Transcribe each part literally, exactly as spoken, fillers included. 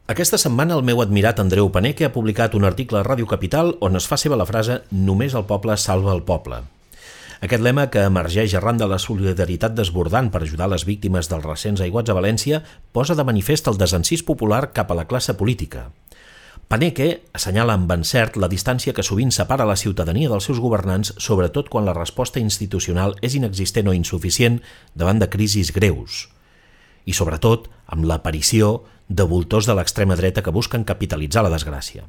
Aquesta setmana el meu admirat Andreu Paneque ha publicat un article a Ràdio Capital on es fa seva la frase «Només el poble salva el poble». Aquest lema, que emergeix arran de la solidaritat desbordant per ajudar les víctimes dels recents aiguats a València, posa de manifest el desencís popular cap a la classe política. Paneque assenyala amb encert la distància que sovint separa la ciutadania dels seus governants, sobretot quan la resposta institucional és inexistent o insuficient davant de crisis greus. I sobretot amb l'aparició de voltors de l'extrema dreta que busquen capitalitzar la desgràcia.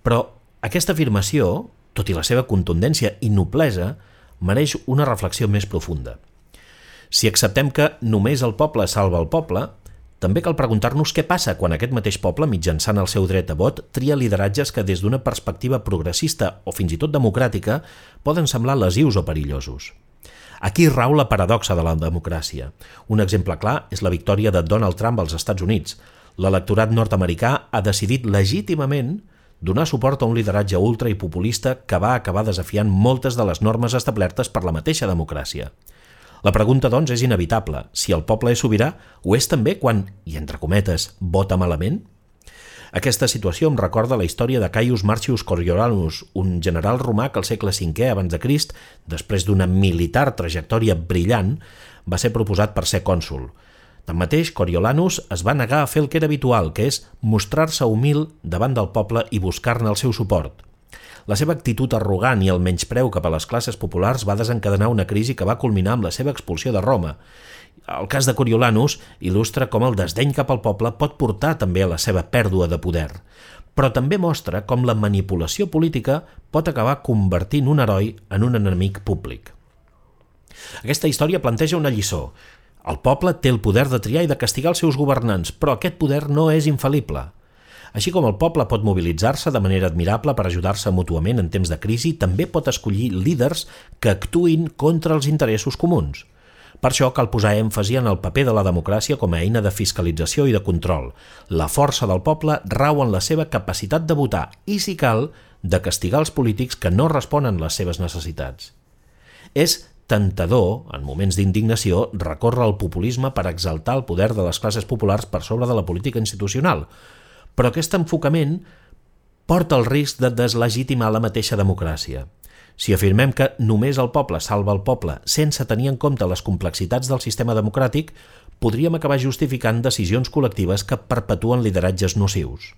Però aquesta afirmació, tot i la seva contundència i noblesa, mereix una reflexió més profunda. Si acceptem que només el poble salva el poble, també cal preguntar-nos què passa quan aquest mateix poble, mitjançant el seu dret a vot, tria lideratges que des d'una perspectiva progressista o fins i tot democràtica poden semblar lesius o perillosos. Aquí rau la paradoxa de la democràcia. Un exemple clar és la victòria de Donald Trump als Estats Units. L'electorat nord-americà ha decidit legítimament donar suport a un lideratge ultra i populista que va acabar desafiant moltes de les normes establertes per la mateixa democràcia. La pregunta, doncs, és inevitable. Si el poble és sobirà, ho és també quan, i entre cometes, vota malament? Aquesta situació em recorda la història de Caius Marcius Coriolanus, un general romà que al segle cinquè abans de Crist, després d'una militar trajectòria brillant, va ser proposat per ser cònsol. Tanmateix, Coriolanus es va negar a fer el que era habitual, que és mostrar-se humil davant del poble i buscar-ne el seu suport. La seva actitud arrogant i el menyspreu cap a les classes populars va desencadenar una crisi que va culminar amb la seva expulsió de Roma. El cas de Coriolanus il·lustra com el desdeny cap al poble pot portar també a la seva pèrdua de poder, però també mostra com la manipulació política pot acabar convertint un heroi en un enemic públic. Aquesta història planteja una lliçó. El poble té el poder de triar i de castigar els seus governants, però aquest poder no és infal·lible. Així com el poble pot mobilitzar-se de manera admirable per ajudar-se mútuament en temps de crisi, també pot escollir líders que actuïn contra els interessos comuns. Per això cal posar èmfasi en el paper de la democràcia com a eina de fiscalització i de control. La força del poble rau en la seva capacitat de votar i, si cal, de castigar els polítics que no responen les seves necessitats. És tentador, en moments d'indignació, recórrer al populisme per exaltar el poder de les classes populars per sobre de la política institucional, però aquest enfocament porta el risc de deslegitimar la mateixa democràcia. Si afirmem que només el poble salva el poble sense tenir en compte les complexitats del sistema democràtic, podríem acabar justificant decisions col·lectives que perpetuen lideratges nocius.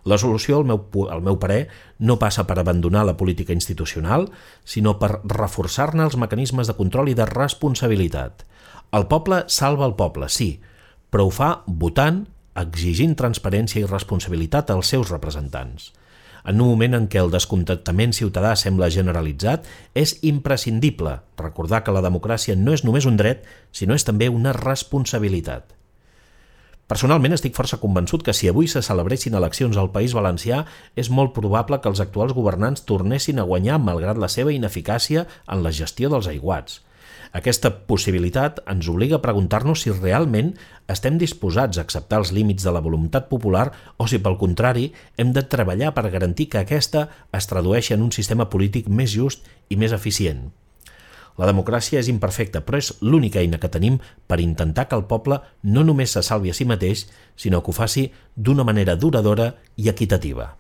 La solució, al meu, al meu parer, no passa per abandonar la política institucional, sinó per reforçar-ne els mecanismes de control i de responsabilitat. El poble salva el poble, sí, però ho fa votant, exigint transparència i responsabilitat als seus representants. En un moment en què el descontentament ciutadà sembla generalitzat, és imprescindible recordar que la democràcia no és només un dret, sinó és també una responsabilitat. Personalment estic força convençut que si avui se celebressin eleccions al País Valencià, és molt probable que els actuals governants tornessin a guanyar malgrat la seva ineficàcia en la gestió dels aiguats. Aquesta possibilitat ens obliga a preguntar-nos si realment estem disposats a acceptar els límits de la voluntat popular o si, pel contrari, hem de treballar per garantir que aquesta es tradueixi en un sistema polític més just i més eficient. La democràcia és imperfecta, però és l'única eina que tenim per intentar que el poble no només se salvi a si mateix, sinó que ho faci d'una manera duradora i equitativa.